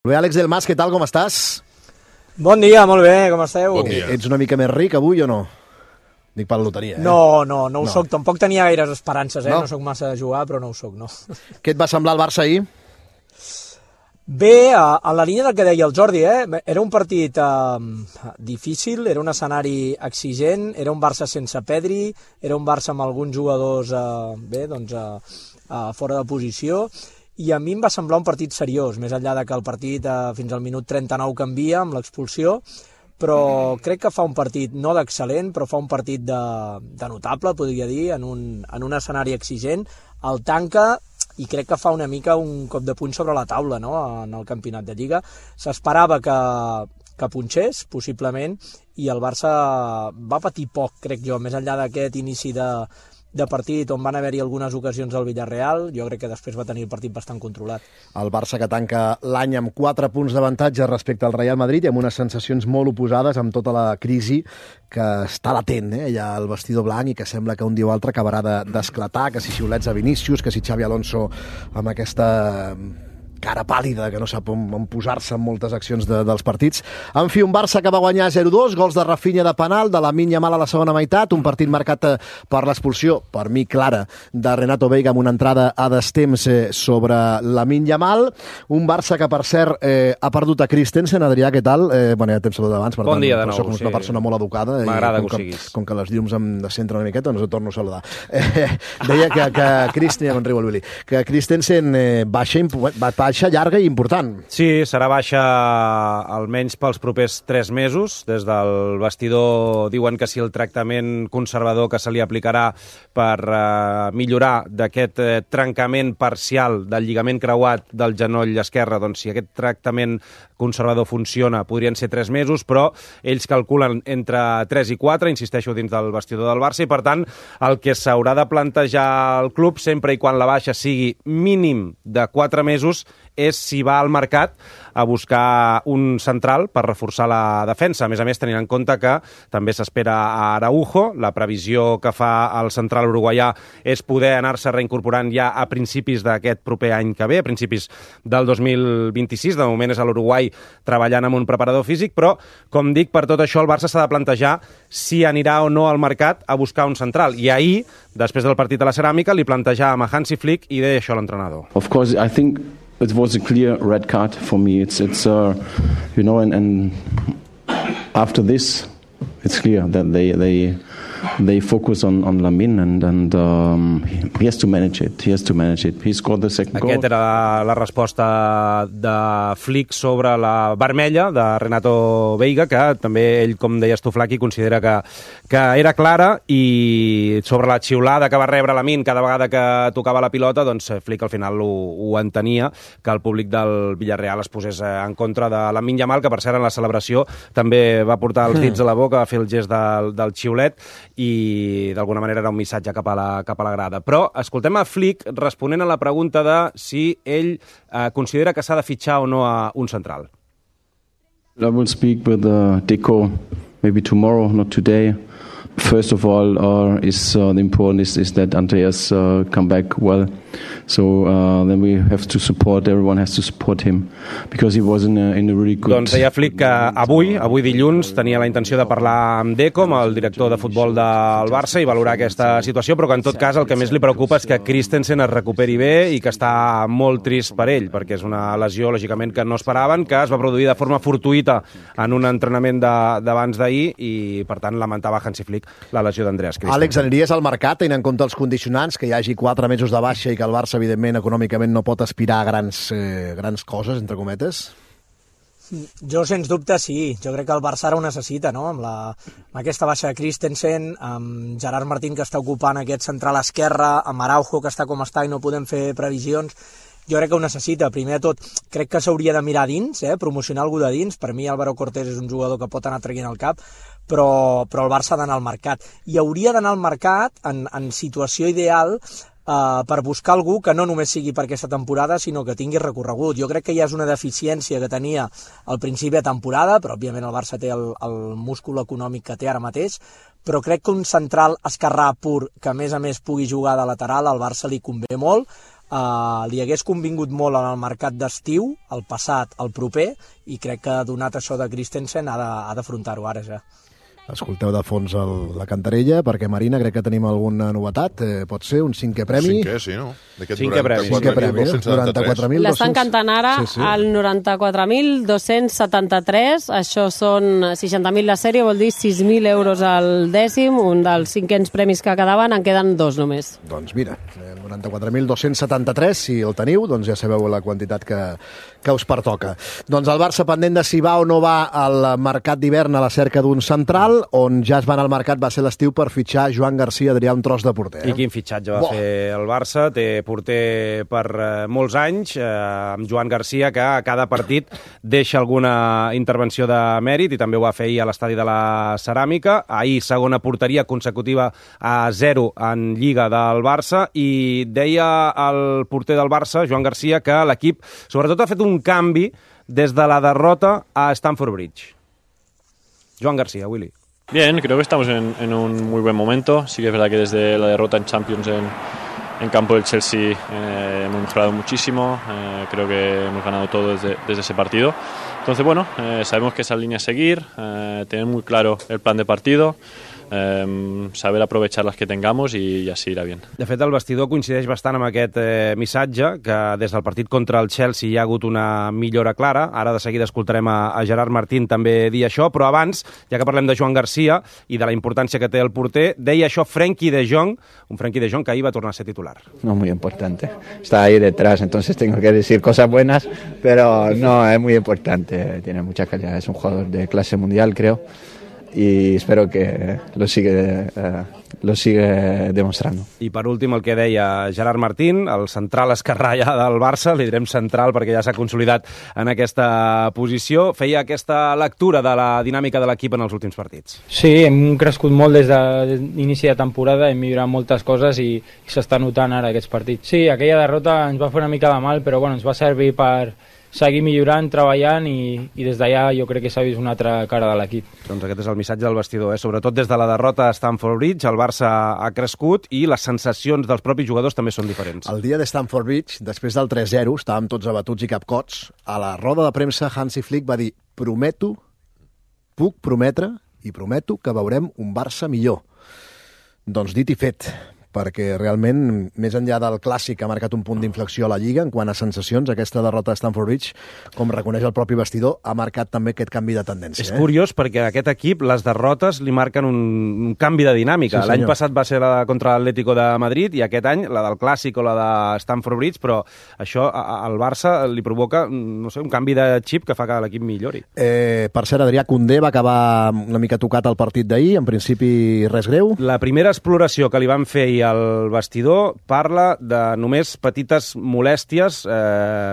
Bé, Àlex del Mas, què tal, com estàs? Bon dia, molt bé, com esteu? Bon dia. Ets una mica més ric avui o no? Dic per la loteria, No ho soc, tampoc tenia gaires esperances, No? no soc massa de jugar, però no ho soc, no. Què et va semblar el Barça ahir? Bé, en la línia del que deia el Jordi, era un partit difícil, era un escenari exigent, era un Barça sense Pedri, era un Barça amb alguns jugadors fora de posició, i a mi em va semblar un partit seriós, més enllà de que el partit fins al minut 39 canvia amb l'expulsió, però crec que fa un partit no d'excel·lent, però fa un partit de notable, podria dir, en un escenari exigent, el tanca i crec que fa una mica un cop de puny sobre la taula, no?, en el campionat de Lliga. S'esperava que punxés, possiblement, i el Barça va patir poc, crec jo, més enllà d'aquest inici de partit on van haver-hi algunes ocasions al Villarreal. Jo crec que després va tenir el partit bastant controlat. El Barça que tanca l'any amb 4 punts d'avantatge respecte al Real Madrid i amb unes sensacions molt oposades amb tota la crisi que està latent, allà al vestidor blanc, i que sembla que un dia o altre acabarà d'esclatar, que si xiulets a Vinícius, que si Xavi Alonso amb aquesta cara pàl·lida, que no sap on posar-se en moltes accions dels partits. En fi, un Barça que va guanyar 0-2, gols de Rafinha de penal, de Lamine Yamal a la segona meitat, un partit marcat per l'expulsió, per mi clara, de Renato Veiga amb una entrada a destemps sobre Lamine Yamal. Un Barça que, per cert, ha perdut a Christensen. Adrià, què tal? Bueno, ja t'hem saludat abans, per bon dia de nou. Soc una persona molt educada. M'agrada que ho siguis. Com que les llums em descentren una miqueta, doncs et torno a saludar. Deia que Christensen, ja me'n riu el Willy, que Christensen baixa llarga i important. Sí, serà baixa almenys pels propers 3 mesos. Des del vestidor diuen que si el tractament conservador que se li aplicarà per millorar d'aquest trencament parcial del lligament creuat del genoll esquerre, doncs si aquest tractament conservador funciona, podrien ser 3 mesos, però ells calculen entre 3 i 4, insisteixo, dins del vestidor del Barça, i per tant el que s'haurà de plantejar al club, sempre i quan la baixa sigui mínim de 4 mesos, és si va al mercat a buscar un central per reforçar la defensa. A més, tenint en compte que també s'espera a Araujo. La previsió que fa el central uruguaià és poder anar-se reincorporant ja a principis d'aquest proper any que ve, a principis del 2026. De moment és a l'Uruguai treballant amb un preparador físic, però, com dic, per tot això el Barça s'ha de plantejar si anirà o no al mercat a buscar un central. I ahir, després del partit a la Ceràmica, li plantejàvem a Hansi Flick i deia això l'entrenador. Of course, I think it was a clear red card for me. It's you know, and after this, it's clear that they focus on Lamine and he has to manage it. He scored the second goal. Aquesta era la resposta de Flick sobre la vermella de Renato Veiga, que també ell, com deies tu, Flaqui, considera que era clara, i sobre la xiulada que va rebre Lamine cada vegada que tocava la pilota, doncs Flick al final ho entenia, que el públic del Villarreal es posés en contra de Lamine Yamal, que per cert en la celebració també va portar els dits a la boca, va fer el gest del xiulet, i d'alguna manera era un missatge cap a la grada. Però escoltem a Flick responent a la pregunta de si ell considera que s'ha de fitxar o no a un central. I will speak with Deco maybe tomorrow, not today. First of all, the important is that Andreas come back well. So then we have to support, everyone has to support him, because he was in a really good... Doncs deia Flick que avui dilluns, tenia la intenció de parlar amb Deco, amb el director de futbol del Barça, i valorar aquesta situació, però que en tot cas el que més li preocupa és que Christensen es recuperi bé i que està molt trist per ell, perquè és una lesió, lògicament, que no esperaven, que es va produir de forma fortuïta en un entrenament d'abans d'ahir, i per tant lamentava Hansi Flick la lesió d'Andreas Christensen. Àlex, aniries al mercat tenint en compte els condicionants, que hi hagi 4 mesos de baixa i que el Barça, evidentment, econòmicament no pot aspirar a grans coses, entre cometes? Jo, sens dubte, sí. Jo crec que el Barça ara ho necessita, no? Amb aquesta baixa de Christensen, amb Gerard Martín, que està ocupant aquest central esquerre, amb Araujo, que està com està i no podem fer previsions. Jo crec que ho necessita. Primer de tot, crec que s'hauria de mirar dins, promocionar algú de dins. Per mi, Álvaro Cortés és un jugador que pot anar traient el cap, però el Barça ha d'anar al mercat. I hauria d'anar al mercat en situació ideal per buscar algú que no només sigui per aquesta temporada, sinó que tingui recorregut. Jo crec que ja és una deficiència que tenia al principi de temporada, però òbviament el Barça té el múscul econòmic que té ara mateix, però crec que un central esquerrà pur, que a més pugui jugar de lateral, al Barça li convé molt. li hagués convingut molt en el mercat d'estiu, el passat, el proper, i crec que donat això de Christensen ha d'afrontar-ho ara ja. Escolteu de fons la cantarella, perquè, Marina, crec que tenim alguna novetat. Pot ser un 5è premi? 5è, sí, no? Cinquè premi. 94.273. L'estan cantant ara al 94.273. Això són 60.000 la sèrie, vol dir 6.000 euros al dècim. Un dels 5ens premis que quedaven, en queden 2 només. Doncs mira, 94.273, si el teniu, doncs ja sabeu la quantitat que us pertoca. Doncs el Barça pendent de si va o no va al mercat d'hivern a la cerca d'un central, on ja es van al mercat va ser l'estiu per fitxar Joan Garcia, Adrià, un tros de porter. I quin fitxatge va fer el Barça. Té porter per molts anys, amb Joan Garcia, que a cada partit deixa alguna intervenció de mèrit, i també ho va fer ahir a l'estadi de la Ceràmica. Ahir, segona porteria consecutiva a 0 en Lliga del Barça, i deia el porter del Barça, Joan Garcia, que l'equip sobretot ha fet un canvi des de la derrota a Stamford Bridge. Joan Garcia, Willy. Bien, creo que estamos en un muy buen momento. Sí que es verdad que desde la derrota en Champions en campo del Chelsea hemos mejorado muchísimo. Creo que hemos ganado todo desde ese partido. Entonces, bueno, sabemos que esa línea a seguir, tener muy claro el plan de partido, saber aprovechar les que tengamos i així irà bien. De fet, el vestidor coincideix bastant amb aquest missatge, que des del partit contra el Chelsea hi ha hagut una millora clara. Ara de seguida escoltarem a Gerard Martín també dir això, però abans, ja que parlem de Joan Garcia i de la importància que té el porter, deia això Frenkie de Jong, un Frenkie de Jong que ahir va tornar a ser titular. No, muy importante. Está ahí detrás, entonces tengo que decir cosas buenas, pero no, es muy importante. Tiene mucha calidad, es un jugador de clase mundial, creo. Y espero que lo sigue demostrando. I per últim el que deia Gerard Martín, el central esquerrà ja del Barça, li direm central perquè ja s'ha consolidat en aquesta posició, feia aquesta lectura de la dinàmica de l'equip en els últims partits. Sí, hem crescut molt des de l'inici de temporada, hem millorat moltes coses i s'està notant ara aquests partits. Sí, aquella derrota ens va fer una mica de mal, però bueno, ens va servir per seguir millorant, treballant i des d'allà jo crec que s'ha vist una altra cara de l'equip. Doncs aquest és el missatge del vestidor, sobretot des de la derrota a Stamford Bridge, el Barça ha crescut i les sensacions dels propis jugadors també són diferents. El dia de Stamford Bridge, després del 3-0, estàvem tots abatuts i capcots. A la roda de premsa, Hansi Flick va dir: puc prometre i prometo que veurem un Barça millor. Doncs dit i fet, perquè realment, més enllà del clàssic, ha marcat un punt d'inflexió a la Lliga en quant a sensacions. Aquesta derrota de Stamford Bridge, com reconeix el propi vestidor, ha marcat també aquest canvi de tendència. És curiós perquè a aquest equip les derrotes li marquen un canvi de dinàmica. Sí, l'any passat va ser la contra l'Atlético de Madrid i aquest any la del clàssic o la de Stamford Bridge, però això al Barça li provoca, no sé, un canvi de xip que fa que l'equip millori. Per cert, Adrià, Koundé va acabar una mica tocat al partit d'ahir, en principi res greu. La primera exploració que li van fer el vestidor parla de només petites molèsties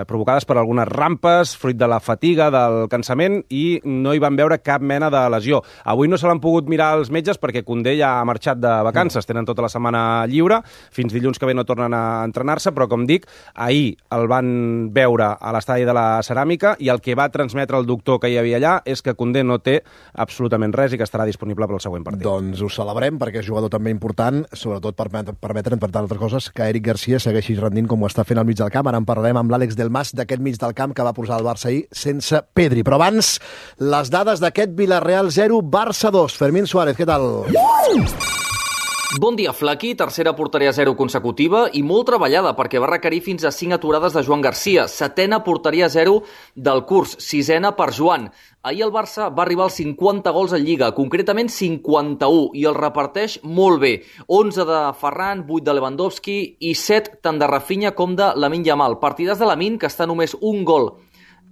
provocades per algunes rampes, fruit de la fatiga, del cansament, i no hi van veure cap mena de lesió. Avui no se l'han pogut mirar els metges perquè Koundé ja ha marxat de vacances, tenen tota la setmana lliure, fins dilluns que ve no tornen a entrenar-se, però com dic, ahir el van veure a l'estadi de la Ceràmica i el que va transmetre el doctor que hi havia allà és que Koundé no té absolutament res i que estarà disponible per al següent partit. Doncs ho celebrem perquè és jugador també important, sobretot per permetre, entre altres coses, que Eric Garcia segueixi rendint com ho està fent al mig del camp. Ara en parlarem amb l'Àlex Del Mas d'aquest mig del camp que va posar el Barça ahir sense Pedri. Però abans, les dades d'aquest Villarreal 0, Barça 2. Fermín Suárez, què tal? Bon dia, Flaqui. Tercera porteria 0 consecutiva i molt treballada perquè va requerir fins a 5 aturades de Joan Garcia. Setena porteria 0 del curs, sisena per Joan. Ahir el Barça va arribar als 50 gols en Lliga, concretament 51, i el reparteix molt bé. 11 de Ferran, 8 de Lewandowski i 7 tant de Rafinha com de Lamine Yamal. Partidars de Lamine, que està només un gol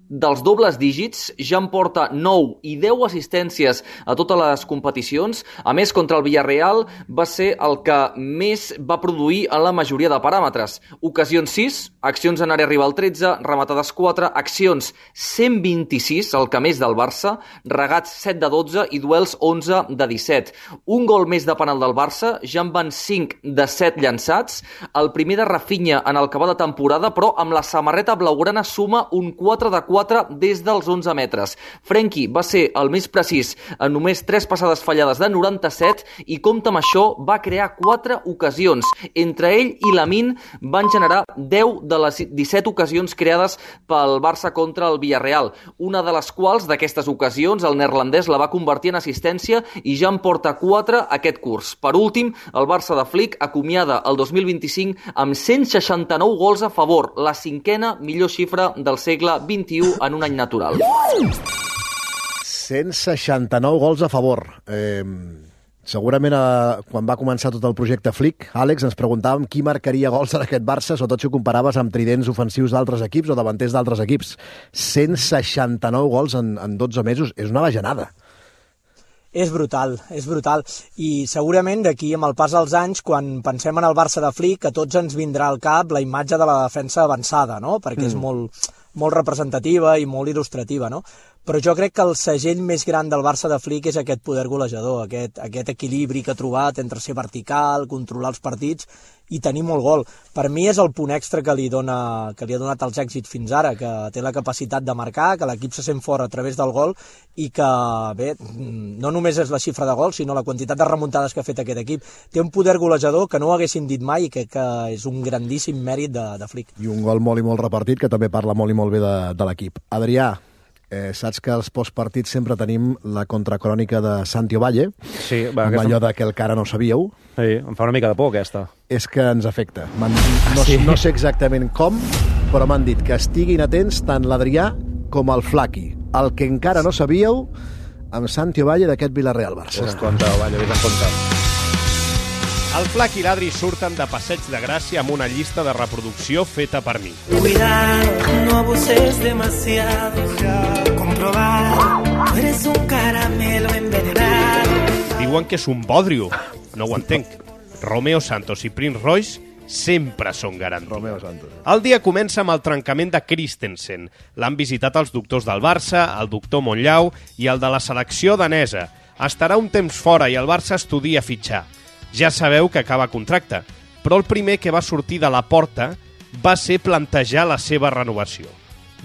dels dobles dígits, ja en porta 9 i 10 assistències a totes les competicions. A més, contra el Villarreal va ser el que més va produir en la majoria de paràmetres. Ocasions 6, accions en àrea rival 13, rematades 4, accions 126, el que més del Barça, regats 7 de 12 i duels 11 de 17. Un gol més de penal del Barça, ja en van 5 de 7 llançats. El primer de Rafinha en el que va de temporada, però amb la samarreta blaugrana suma un 4 de 4 4 des dels 11 metres. Frenkie va ser el més precís en només 3 passades fallades de 97 i, compte amb això, va crear 4 ocasions. Entre ell i Lamine van generar 10 de les 17 ocasions creades pel Barça contra el Villarreal, una de les quals, d'aquestes ocasions, el neerlandès la va convertir en assistència i ja en porta 4 aquest curs. Per últim, el Barça de Flick acomiada el 2025 amb 169 gols a favor, la 5ª millor xifra del segle XXI en un any natural. 169 gols a favor. Segurament quan va començar tot el projecte Flick, Àlex, ens preguntàvem qui marcaria gols en aquest Barça, sobretot si ho comparaves amb tridents ofensius d'altres equips o davanters d'altres equips. 169 gols en 12 mesos. És una bajanada. És brutal, és brutal. I segurament d'aquí, amb el pas dels anys, quan pensem en el Barça de Flick, a tots ens vindrà al cap la imatge de la defensa avançada, no? Perquè és molt representativa i molt il·lustrativa, no? Però jo crec que el segell més gran del Barça de Flick és aquest poder golejador, aquest equilibri que ha trobat entre ser vertical, controlar els partits i tenir molt gol. Per mi és el punt extra que li ha donat els èxits fins ara, que té la capacitat de marcar, que l'equip se sent fort a través del gol i que, bé, no només és la xifra de gols, sinó la quantitat de remuntades que ha fet aquest equip. Té un poder golejador que no ho haguéssim dit mai i que és un grandíssim mèrit de Flick. I un gol molt i molt repartit, que també parla molt i molt bé de l'equip. Adrià, saps que als postpartits sempre tenim la contracrònica de Santi Ovalle, sí, amb allò que el cara no sabíeu. Sí, em fa una mica de por, aquesta. És que ens afecta. No sé exactament com, però m'han dit que estiguin atents tant l'Adrià com el Flaqui. El que encara no sabíeu amb Santi Ovalle d'aquest Villarreal-Barça. Vés en compte, Ovalle, vés en compte. El Flac i l'Adri surten de Passeig de Gràcia amb una llista de reproducció feta per mi. Cuidado, no abuses demasiado. Comprobar, tú eres un caramelo envenenado. Diuen que és un bodrio. No ho entenc. Romeo Santos i Prince Royce sempre són garantia. Romeo Santos. El dia comença amb el trencament de Christensen. L'han visitat els doctors del Barça, el doctor Monllau i el de la selecció danesa. Estarà un temps fora i el Barça estudia fitxar. Ja sabeu que acaba contracte, però el primer que va sortir de la porta va ser plantejar la seva renovació.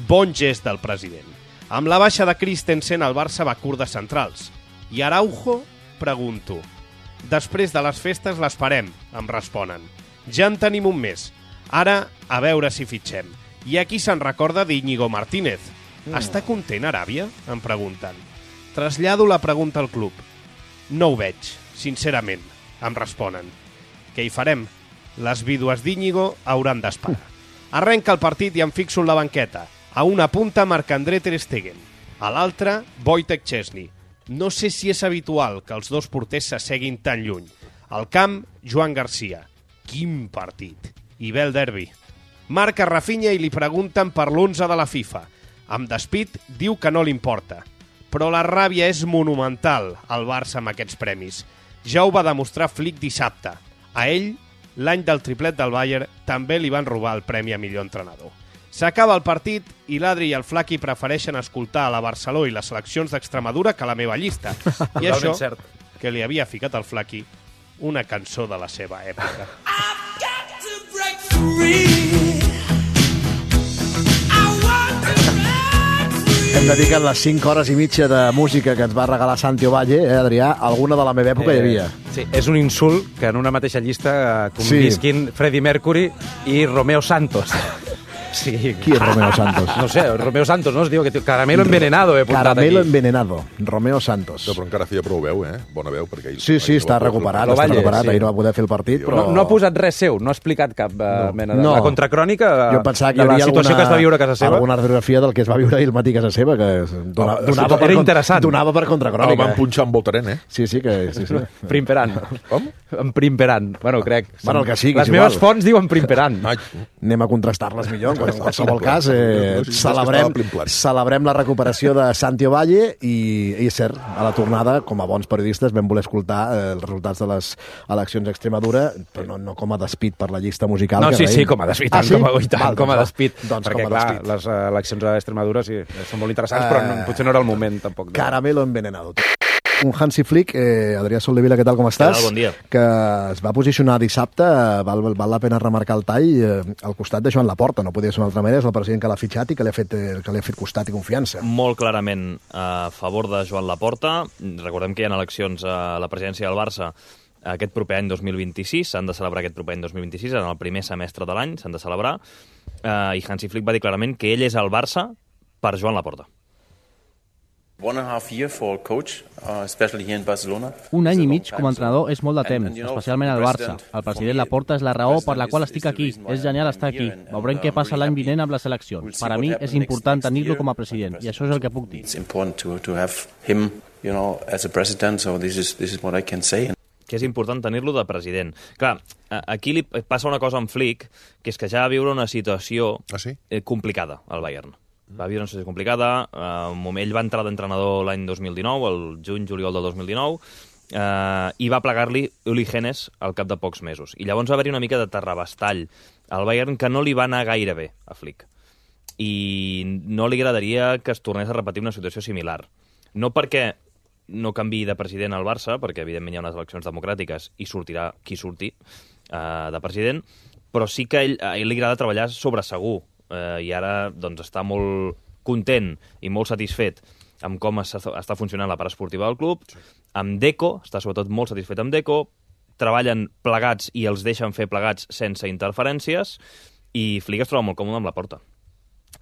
Bon gest del president. Amb la baixa de Christensen, el Barça va curt de centrals. I Araujo? Pregunto. Després de les festes l'esperem, em responen. Ja en tenim un mes. Ara, a veure si fitxem. I aquí se'n recorda d'Íñigo Martínez. Està content Aràbia? Em pregunten. Trasllado la pregunta al club. No ho veig, sincerament, em responen. Què hi farem? Les vídues d'Íñigo hauran d'esperar. Arrenca el partit i em fixo en la banqueta. A una punta Marc-André Ter Stegen. A l'altra, Wojtek Szczesny. No sé si és habitual que els dos porters s'asseguin tan lluny. Al camp, Joan Garcia. Quin partit! I ve el derbi. Marca Rafinha i li pregunten per l'11 de la FIFA. Amb despit, diu que no li importa. Però la ràbia és monumental al Barça amb aquests premis. Ja ho va demostrar Flick dissabte. A ell, l'any del triplet del Bayern, també li van robar el premi a millor entrenador. S'acaba el partit i l'Adri i el Flaqui prefereixen escoltar a la Barceló i les seleccions d'Extremadura que la meva llista. I això, que li havia ficat al Flaqui, una cançó de la seva època. I've got to break free. Hem dedicat les 5 hores i mitja de música que ens va regalar Santi Ovalle, Adrià, alguna de la meva època hi havia. Sí, és un insult que en una mateixa llista convisquin Freddie Mercury i Romeo Santos. Sí. Qui és Romeo Santos? No sé, Romeo Santos, no? Es diu que Caramelo Envenenado, he portat aquí. Caramelo Envenenado, Romeo Santos. No, però encara feia prou veu, Bona veu, perquè... Sí, està recuperat, ahir no va poder fer el partit, però... No ha posat res seu, no ha explicat cap mena de la contracrònica de la situació que es va viure a casa seva. Alguna radiografia del que es va viure ahir al matí a casa seva, que era interessant. Donava per contracrònica. El van punxar amb Voltaren, Sí. Primperant. Com? En Primperant. Bueno, crec. Bueno, el que sigui. Les meves fonts diuen Primperant. Anem a contrastar-les millor. En qualsevol cas, celebrem la recuperació de Santi Ovalle i és cert, a la tornada, com a bons periodistes, vam voler escoltar els resultats de les eleccions a Extremadura, però no com a despit per la llista musical. No, sí, com a despit, com a despit. Perquè, clar, les eleccions a Extremadura sí, són molt interessants, però potser no era el moment, tampoc. Caramelo Envenenado. un Hansi Flick, Adrià Soldevila, què tal, com estàs? Bon dia. Que es va posicionar dissabte, val la pena remarcar el tall, al costat de Joan Laporta, no podia ser una altra manera, és el president que l'ha fitxat i que li ha fet costat i confiança. Molt clarament a favor de Joan Laporta. Recordem que hi ha eleccions a la presidència del Barça aquest proper any 2026, s'han de celebrar aquest proper any 2026, en el primer semestre de l'any s'han de celebrar, i Hansi Flick va dir clarament que ell és el Barça per Joan Laporta. 1.5 years for coach, especially here in Barcelona. Un any i mig com a entrenador és molt de temps, especialment al Barça. El president Laporta és la raó per la qual estic aquí. És genial estar aquí. Veurem què passa l'any vinent amb les eleccions. Per a mi és important tenir-lo com a president, i això és el que puc dir. It's important to have him, as a president, so this is what I can say. Que és important tenir-lo de president. Clar, aquí li passa una cosa amb Flick, que és que ja va viure una situació complicada al Bayern. Va viure una situació complicada, ell va entrar d'entrenador l'any 2019, el juny-juliol del 2019, i va plegar-li Uli Hoeneß al cap de pocs mesos. I llavors va haver-hi una mica de terrabastall al Bayern que no li va anar gaire bé a Flick. I no li agradaria que es tornés a repetir una situació similar. No perquè no canviï de president al Barça, perquè evidentment hi ha unes eleccions democràtiques i sortirà qui surti de president, però sí que a ell li agrada treballar sobre segur, i ara doncs, està molt content i molt satisfet amb com està funcionant la part esportiva del club. Amb Deco, està sobretot molt satisfet amb Deco, treballen plegats i els deixen fer plegats sense interferències, i Flick es troba molt còmode amb Laporta.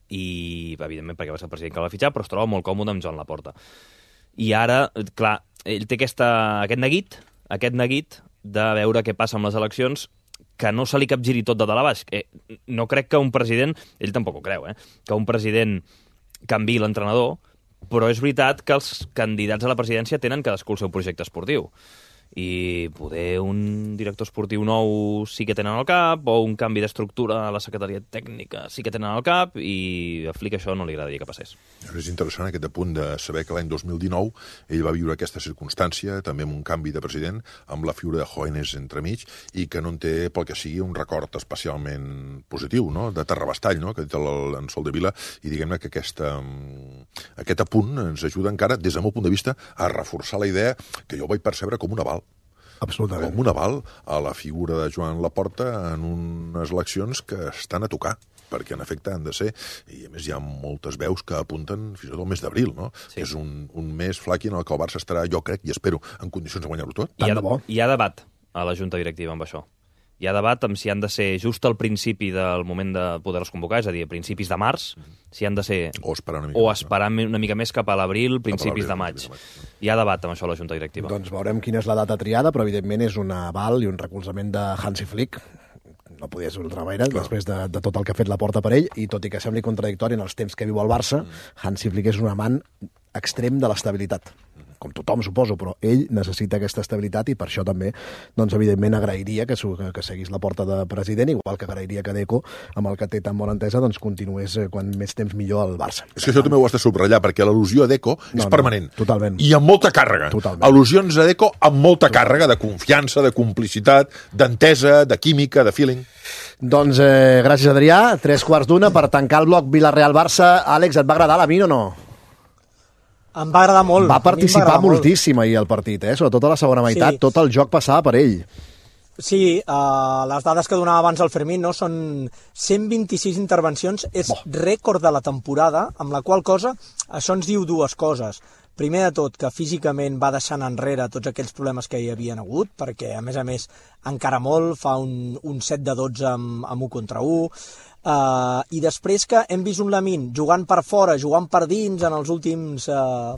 I, evidentment, perquè va ser el president que el va fitxar, però es troba molt còmode amb Joan Laporta. I ara, clar, ell té aquest neguit de veure què passa amb les eleccions, que no se li capgiri tot de dalt a baix. No crec que un president, ell tampoc ho creu, que un president canviï l'entrenador, però és veritat que els candidats a la presidència tenen cadascú el seu projecte esportiu. I poder un director esportiu nou sí que tenen al cap, o un canvi d'estructura a la secretaria tècnica sí que tenen al cap, i a Flick això no li agradaria que passés. És interessant aquest apunt de saber que l'any 2019 ell va viure aquesta circumstància, també amb un canvi de president, amb la figura de Hoeneß entremig, i que no en té, pel que sigui, un record especialment positiu, no? De terrabastall, no? Que ha dit en Soldevila, i diguem-ne que aquest apunt ens ajuda encara, des del meu punt de vista, a reforçar la idea que jo vaig percebre com un aval. Absolutament. Com un aval a la figura de Joan Laporta en unes eleccions que estan a tocar, perquè en efecte han de ser, i a més hi ha moltes veus que apunten fins i tot el mes d'abril, no? Sí. És un mes flaqui en el que el Barça estarà, jo crec i espero, en condicions de guanyar-ho tot. Hi ha debat a la Junta Directiva amb això. Hi ha debat amb si han de ser just al principi del moment de poder-los convocar, és a dir, a principis de març, si han de ser... O esperar una mica més cap a l'abril, principis de maig. Hi ha debat amb això a la Junta Directiva. Doncs veurem quina és la data triada, però evidentment és un aval i un recolzament de Hansi Flick. No podia ser d'altra manera, després de tot el que ha fet Laporta per ell, i tot i que sembli contradictori en els temps que viu el Barça, Hansi Flick és un amant extrem de l'estabilitat. Com tothom, suposo, però ell necessita aquesta estabilitat i per això també, doncs, evidentment, agrairia que seguís Laporta de president, igual que agrairia que Deco, amb el que té tan bona entesa, doncs continués quan més temps millor al Barça. És que això també ho has de subratllar, perquè l'al·lusió a Deco és permanent. Totalment. I amb molta càrrega. Totalment. Al·lusions a Deco amb molta càrrega de confiança, de complicitat, d'entesa, de química, de feeling. Doncs gràcies, Adrià. 3:15 per tancar el bloc Villarreal-Barça. Àlex, et va agradar la mi o no? Em va agradar molt. Va participar moltíssim ahir al partit, sobretot a la segona meitat. Sí. Tot el joc passava per ell. Sí, les dades que donava abans el Fermín són 126 intervencions, és rècord de la temporada, amb la qual cosa això ens diu dues coses. Primer de tot, que físicament va deixant enrere tots aquells problemes que hi havien hagut, perquè a més encara molt, fa un 7-12 amb 1 contra 1, i després que hem vist un Lamine jugant per fora, jugant per dins en els últims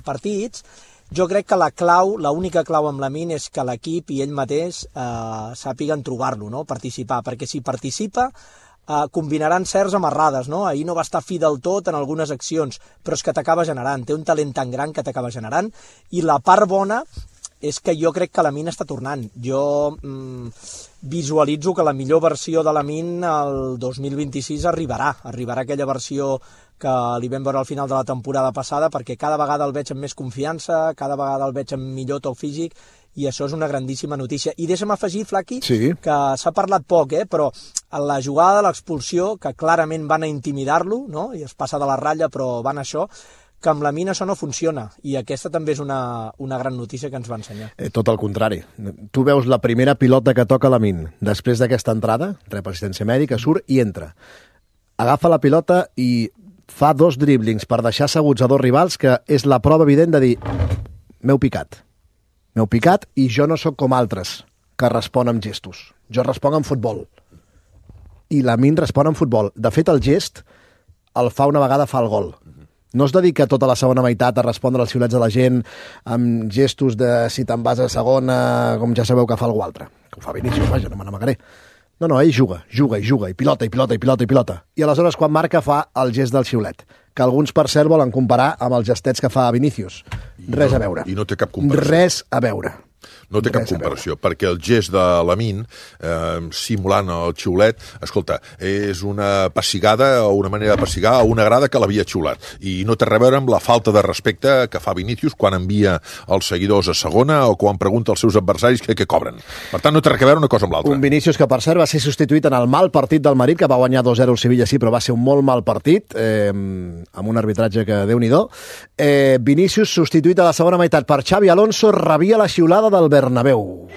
partits. Jo crec que l'única clau amb Lamine és que l'equip i ell mateix sàpiguen trobar-lo, no? Participar, perquè si participa combinaran certs amb errades, no? Ahir no va estar fi del tot en algunes accions, però és que t'acaba generant, té un talent tan gran que t'acaba generant, i la part bona és que jo crec que Lamine està tornant. Jo visualitzo que la millor versió de Lamine el 2026 arribarà aquella versió que li vam veure al final de la temporada passada, perquè cada vegada el veig amb més confiança, cada vegada el veig amb millor toc físic, i això és una grandíssima notícia. I deixa'm afegir, Flaqui, que s'ha parlat poc, però en la jugada de l'expulsió, que clarament van a intimidar-lo, no? I es passa de la ratlla, però van a això, que amb la Mina això no funciona, i aquesta també és una gran notícia que ens va ensenyar. Tot el contrari. Tu veus la primera pilota que toca la Min, després d'aquesta entrada, rep assistència mèdica, surt i entra. Agafa la pilota i fa 2 dríblings per deixar asseguts a 2 rivals, que és la prova evident de dir m'heu picat i jo no sóc com altres que respon amb gestos. Jo responc amb futbol. I la Min respon amb futbol. De fet, el gest el fa una vegada, fa el gol. No es dedica tota la segona meitat a respondre als xiulets de la gent amb gestos de si te'n vas a segona, com ja sabeu que fa algú altre. Que ho fa Vinícius, vaja, no me n'amagaré. No, ell juga, i pilota. I aleshores, quan marca, fa el gest del xiulet, que alguns, per cert, volen comparar amb els gestets que fa Vinícius. Res a veure. I no té cap comparació. Res a veure. No té cap comparació, perquè el gest de Lamine, simulant el xiulet, escolta, és una pessigada o una manera de pessigar a una grada que l'havia xiulat. I no té res a veure amb la falta de respecte que fa Vinícius quan envia els seguidors a segona o quan pregunta als seus adversaris què cobren. Per tant, no té res a veure una cosa amb l'altra. Un Vinícius que, per cert, va ser substituït en el mal partit del Madrid, que va guanyar 2-0 el Sevilla, sí, però va ser un molt mal partit, amb un arbitratge que Déu-n'hi-do. Vinícius substituït a la segona meitat per Xavi Alonso, rebia la xiulada del Bernabéu.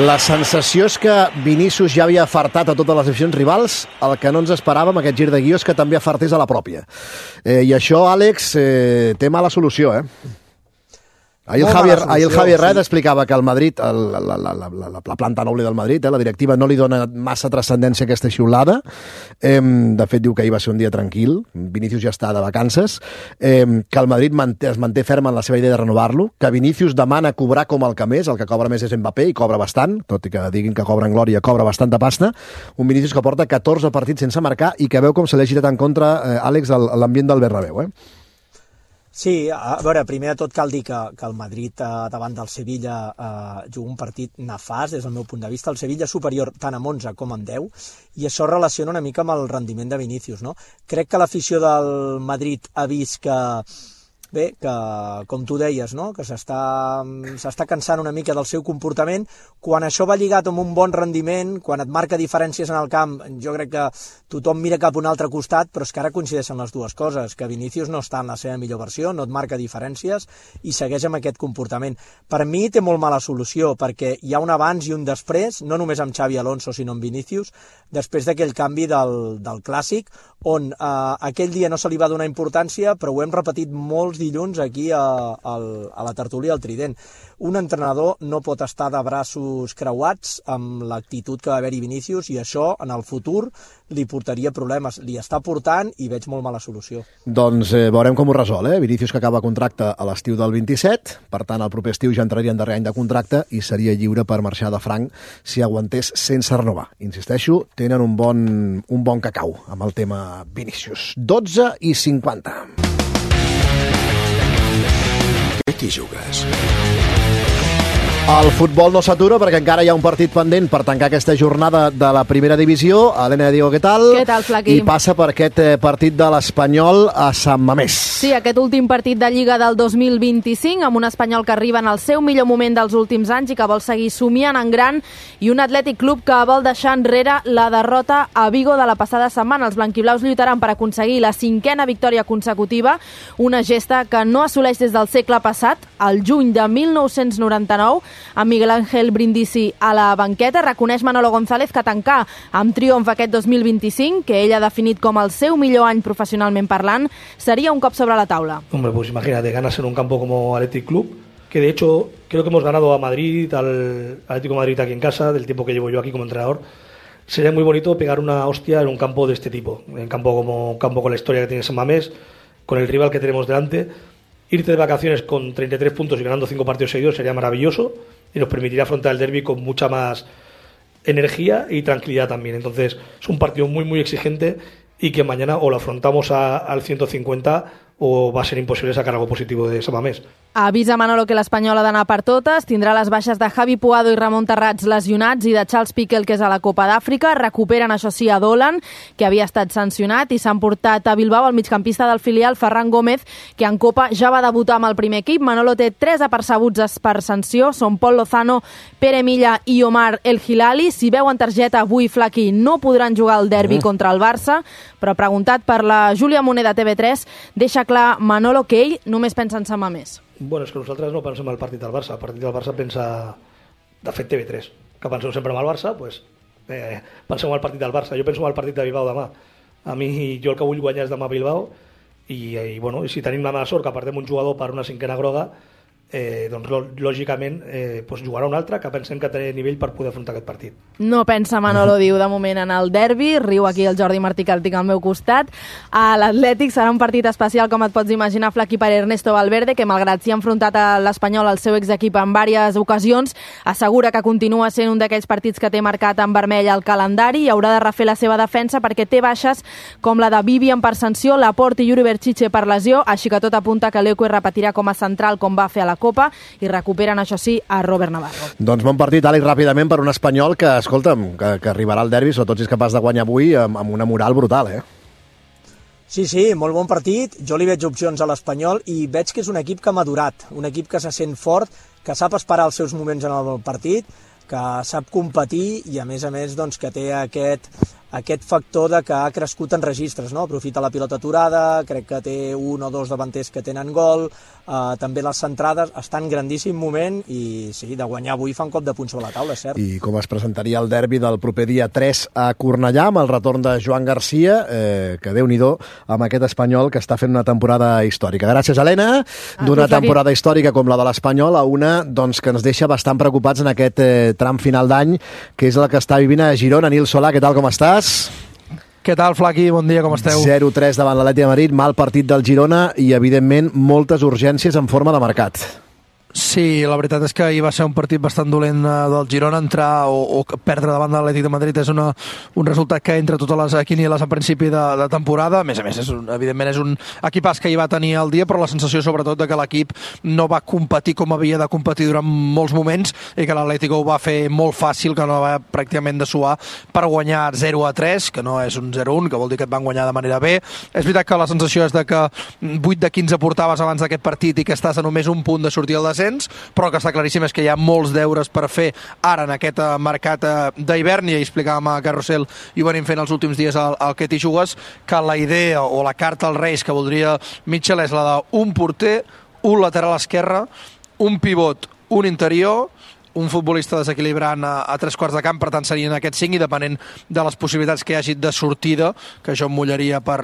La sensació és que Vinícius ja havia afartat a totes les aficions rivals. El que no ens esperàvem, aquest gir de guió, és que també afartés a la pròpia. I això, Àlex, té mala solució, Ahir el Javier Red explicava que el Madrid, la planta noble del Madrid, la directiva, no li dona massa transcendència a aquesta xiulada. De fet, diu que ahir va ser un dia tranquil, Vinícius ja està de vacances, que el Madrid es manté ferm en la seva idea de renovar-lo, que Vinícius demana cobrar com el que més, el que cobra més és Mbappé, i cobra bastant, tot i que diguin que cobra en glòria, cobra bastanta pasta. Un Vinícius que porta 14 partits sense marcar i que veu com se li ha girat en contra, Àlex, l'ambient del Bernabéu, Sí, a veure, primer de tot cal dir que el Madrid davant del Sevilla juga un partit nefast des del meu punt de vista. El Sevilla és superior tant amb 11 com amb 10 i això relaciona una mica amb el rendiment de Vinícius, no? Crec que l'afició del Madrid ha vist que com tu deies, no? Que s'està cansant una mica del seu comportament. Quan això va lligat amb un bon rendiment, quan et marca diferències en el camp, jo crec que tothom mira cap a un altre costat, però és que ara coincideixen les dues coses, que Vinícius no està en la seva millor versió, no et marca diferències i segueix amb aquest comportament. Per mi té molt mala solució, perquè hi ha un abans i un després, no només amb Xavi Alonso, sinó amb Vinícius, després d'aquell canvi del Clàssic, on aquell dia no se li va donar importància, però ho hem repetit molts dilluns aquí a la tertúlia al Trident. Un entrenador no pot estar de braços creuats amb l'actitud que va haver-hi Vinícius i això en el futur li portaria problemes. Li està portant i veig molt mala solució. Doncs veurem com ho resol, Vinícius que acaba contracte a l'estiu del 27, per tant el proper estiu ja entraria en darrer any de contracte i seria lliure per marxar de franc si aguantés sense renovar. Insisteixo, tenen un bon cacau amb el tema Vinícius. 12:50. Què t'hi jugues? El futbol no s'atura perquè encara hi ha un partit pendent per tancar aquesta jornada de la primera divisió. Helena Diego, què tal? Què tal, Flaqui? I passa per aquest partit de l'Espanyol a Sant Mamés. Sí, aquest últim partit de Lliga del 2025, amb un Espanyol que arriba en el seu millor moment dels últims anys i que vol seguir somiant en gran, i un Atlètic Club que vol deixar enrere la derrota a Vigo de la passada setmana. Els blanquiblaus lluitaran per aconseguir la 5a victòria consecutiva, una gesta que no assoleix des del segle passat, el juny de 1999, amb Miguel Ángel Brindisi a la banqueta. Reconeix Manolo González que tancar amb triomf aquest 2025, que ell ha definit com el seu millor any professionalment parlant, sería un cop sobre la taula. Hombre, pues imagínate, ganas en un campo como Athletic Club, que de hecho creo que hemos ganado a Madrid, al Atlético de Madrid aquí en casa, del tiempo que llevo yo aquí como entrenador. Sería muy bonito pegar una hostia en un campo de este tipo, en un campo con la historia que tiene San Mamés, con el rival que tenemos delante. Irte de vacaciones con 33 puntos y ganando 5 partidos seguidos sería maravilloso y nos permitiría afrontar el derbi con mucha más energía y tranquilidad también. Entonces es un partido muy muy exigente y que mañana o lo afrontamos al 150 o va a ser imposible sacar algo positivo de San Mamés. Avisa Manolo que l'Espanyol ha d'anar per totes, tindrà les baixes de Javi Puado i Ramon Terrats lesionats i de Charles Piquel, que és a la Copa d'Àfrica. Recuperen, això sí, a Dolan, que havia estat sancionat, i s'han portat a Bilbao el migcampista del filial, Ferran Gómez, que en Copa ja va debutar amb el primer equip. Manolo té 3 apercebuts per sanció, són Pol Lozano, Pere Milla i Omar El Hilali. Si veuen targeta avui, Flaqui, no podran jugar al derbi contra el Barça, però preguntat per la Júlia Moner de TV3, deixa clar Manolo que ell només pensa en San Mamés. Bueno, és que nosaltres no pensem al partit del Barça. El partit del Barça pensa, de fet, TV3. Que penseu sempre en el Barça, doncs penseu en el partit del Barça. Jo penso en el partit de Bilbao demà. A mi, jo el que vull guanyar és demà a Bilbao i si tenim la mala sort que perdem un jugador per una cinquena groga, doncs lògicament jugarà un altre que pensem que té nivell per poder afrontar aquest partit. No pensa Manolo, diu, de moment en el derbi. Riu aquí el Jordi Martí, que el tinc al meu costat. A l'Atlètic serà un partit especial, com et pots imaginar, Flaqui, per Ernesto Valverde, que malgrat s'hi ha enfrontat a l'Espanyol, al seu exequip, en diverses ocasions, assegura que continua sent un d'aquells partits que té marcat en vermell al calendari i haurà de refer la seva defensa perquè té baixes com la de Vivian per sanció, Laporte i Yuri Berchiche per lesió, així que tot apunta que Leque repetirà com a central com va fer a la Copa, i recuperen, això sí, a Robert Navarro. Doncs bon partit, Àlex, ràpidament per un Espanyol que, escolta'm, que arribarà al derbi, sobretot si és capaç de guanyar avui amb una moral brutal, Sí, molt bon partit. Jo li veig opcions a l'Espanyol i veig que és un equip que ha madurat, un equip que se sent fort, que sap esperar els seus moments en el partit, que sap competir i, a més, doncs, que té aquest factor de que ha crescut en registres, no? Aprofita la pilota aturada, crec que té 1 o 2 davanters que tenen gol, també les centrades, està en grandíssim moment i sí, de guanyar avui fa un cop de punt sobre la taula, és cert. I com es presentaria el derbi del proper dia 3 a Cornellà, amb el retorn de Joan Garcia, que Déu-n'hi-do amb aquest Espanyol que està fent una temporada històrica. Gràcies, Helena, d'una temporada històrica com la de l'Espanyol a una doncs, que ens deixa bastant preocupats en aquest tram final d'any, que és el que està vivint a Girona. Nil Solà, què tal, com estàs? Què tal, Flaqui? Bon dia, com esteu? 0-3 davant l'Atlètic de Madrid, mal partit del Girona i, evidentment, moltes urgències en forma de mercat. Sí, la veritat és que ahir va ser un partit bastant dolent del Girona. Entrar o perdre davant de l'Atlètic de Madrid és un resultat que entra totes les quinieles a principi de temporada. A més, evidentment és un equipàs que hi va tenir el dia, però la sensació sobretot de que l'equip no va competir com havia de competir durant molts moments i que l'Atlético ho va fer molt fàcil, que no va pràcticament de suar per guanyar 0-3, que no és un 0-1, que vol dir que et van guanyar de manera bé. És veritat que la sensació és de que 8 de 15 portaves abans d'aquest partit i que estàs a només un punt de sortir al descens, però que està claríssim és que hi ha molts deures per fer ara en aquest mercat d'hivern, i ja explicàvem a Carrusel i ho venim fent els últims dies al Que t'hi jugues, que la idea o la carta als Reis que voldria Mitchell és la d'un porter, un lateral esquerre, un pivot, un interior, un futbolista desequilibrant a 3 quarts de camp, per tant serien aquests 5, i depenent de les possibilitats que hi hagi de sortida, que això em mullaria per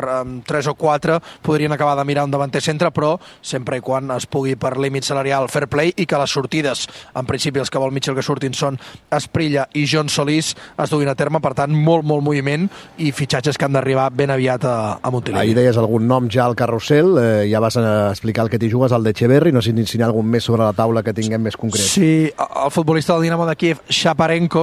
3 o 4, podrien acabar de mirar un davanter centre, però sempre i quan es pugui per límit salarial fair play, i que les sortides, en principi els que vol Mitchell que surtin són Esprilla i John Solís, es duguin a terme. Per tant, molt moviment i fitxatges que han d'arribar ben aviat a Montilivi. Ahir deies algun nom ja al Carrusel, ja vas explicar el Que t'hi jugues, el d'Echeverri, no sé si hi ha algun més sobre la taula que tinguem més concret. Sí, el futbolista del Dinamo de Kiev, Shaparenko,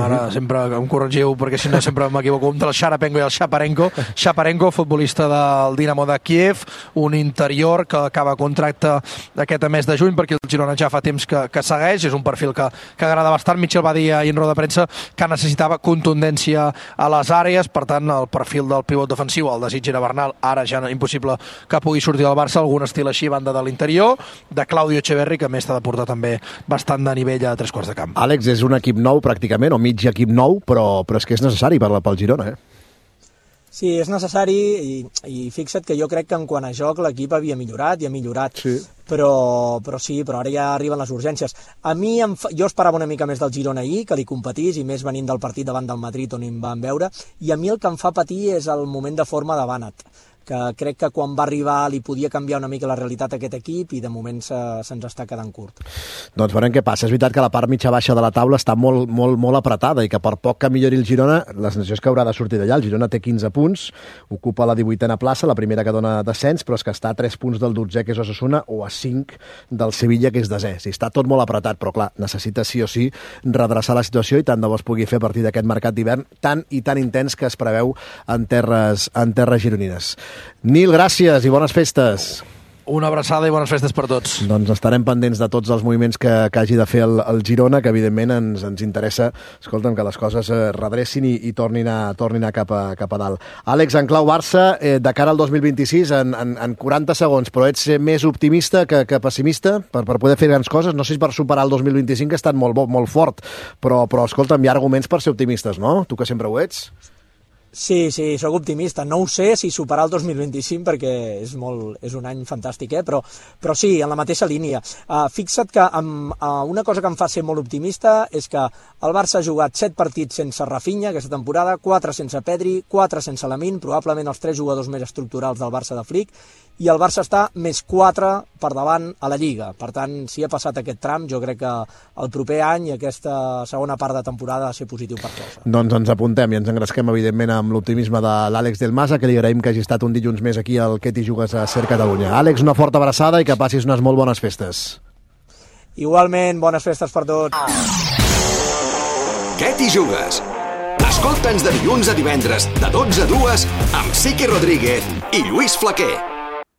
ara sempre em corregiu perquè si no sempre m'equivoco entre el Sharapenko i el Shaparenko, futbolista del Dinamo de Kiev, un interior que acaba contracte aquest mes de juny, perquè el Girona ja fa temps que segueix, és un perfil que agrada bastant. Mitchell va dir ahir en roda de premsa que necessitava contundència a les àrees, per tant el perfil del pivot defensiu, el desig era Bernal, ara ja impossible que pugui sortir del Barça, algun estil així, banda de l'interior, de Claudio Echeverri, que a més t'ha de portar també bastant de nivell a 3 quarts de camp. Àlex, és un equip nou pràcticament, o mig equip nou, però és que és necessari pel Girona, Sí, és necessari i fixa't que jo crec que en quant a joc l'equip havia millorat i ha millorat, sí. Però ara ja arriben les urgències. A mi, jo esperava una mica més del Girona ahir, que li competís, i més venint del partit davant del Madrid on em van veure, i a mi el que em fa patir és el moment de forma de Bannat, que crec que quan va arribar li podia canviar una mica la realitat a aquest equip i de moment se'ns està quedant curt. Doncs veurem què passa. És veritat que la part mitja-baixa de la taula està molt apretada i que per poc que millori el Girona, la sensació és que haurà de sortir d'allà. El Girona té 15 punts, ocupa la 18a plaça, la primera que dona descens, però és que està a 3 punts del 12è, que és Osasuna, o a 5 del Sevilla, que és desè. Sí, està tot molt apretat, però clar, necessita sí o sí redreçar la situació, i tant de bo es pugui fer a partir d'aquest mercat d'hivern tan intens que es preveu en terres gironines. Nil, gràcies i bones festes. Una abraçada i bones festes per tots. Doncs estarem pendents de tots els moviments que hagi de fer el Girona, que evidentment ens interessa, escolta'm, que les coses redrecin i tornin a cap a dalt. Àlex, en clau Barça, de cara al 2026, en 40 segons, però ets més optimista que pessimista per poder fer grans coses? No sé si per superar el 2025, que ha estat molt fort, però escolta'm, hi ha arguments per ser optimistes, no? Tu que sempre ho ets. Sí, sóc optimista. No ho sé si superar el 2025 perquè és un any fantàstic, però sí, en la mateixa línia. Fixa't que una cosa que em fa ser molt optimista és que el Barça ha jugat 7 partits sense Rafinha aquesta temporada, 4 sense Pedri, 4 sense Lamine, probablement els 3 jugadors més estructurals del Barça de Flick, i el Barça està més 4 per davant a la Lliga. Per tant, si ha passat aquest tram, jo crec que el proper any i aquesta segona part de temporada ha de ser positiu per tots. Doncs ens apuntem i ens engresquem, evidentment, amb l'optimisme de l'Àlex Del Masa, que li agraïm que hagi estat un dilluns més aquí al Què t'hi jugues a Ser Catalunya. Àlex, una forta abraçada i que passis unes molt bones festes. Igualment, bones festes per tots. Què t'hi jugues? Escolta'ns de dilluns a divendres, de 12 a 2, amb Siqui Rodríguez i Lluís Flaquer.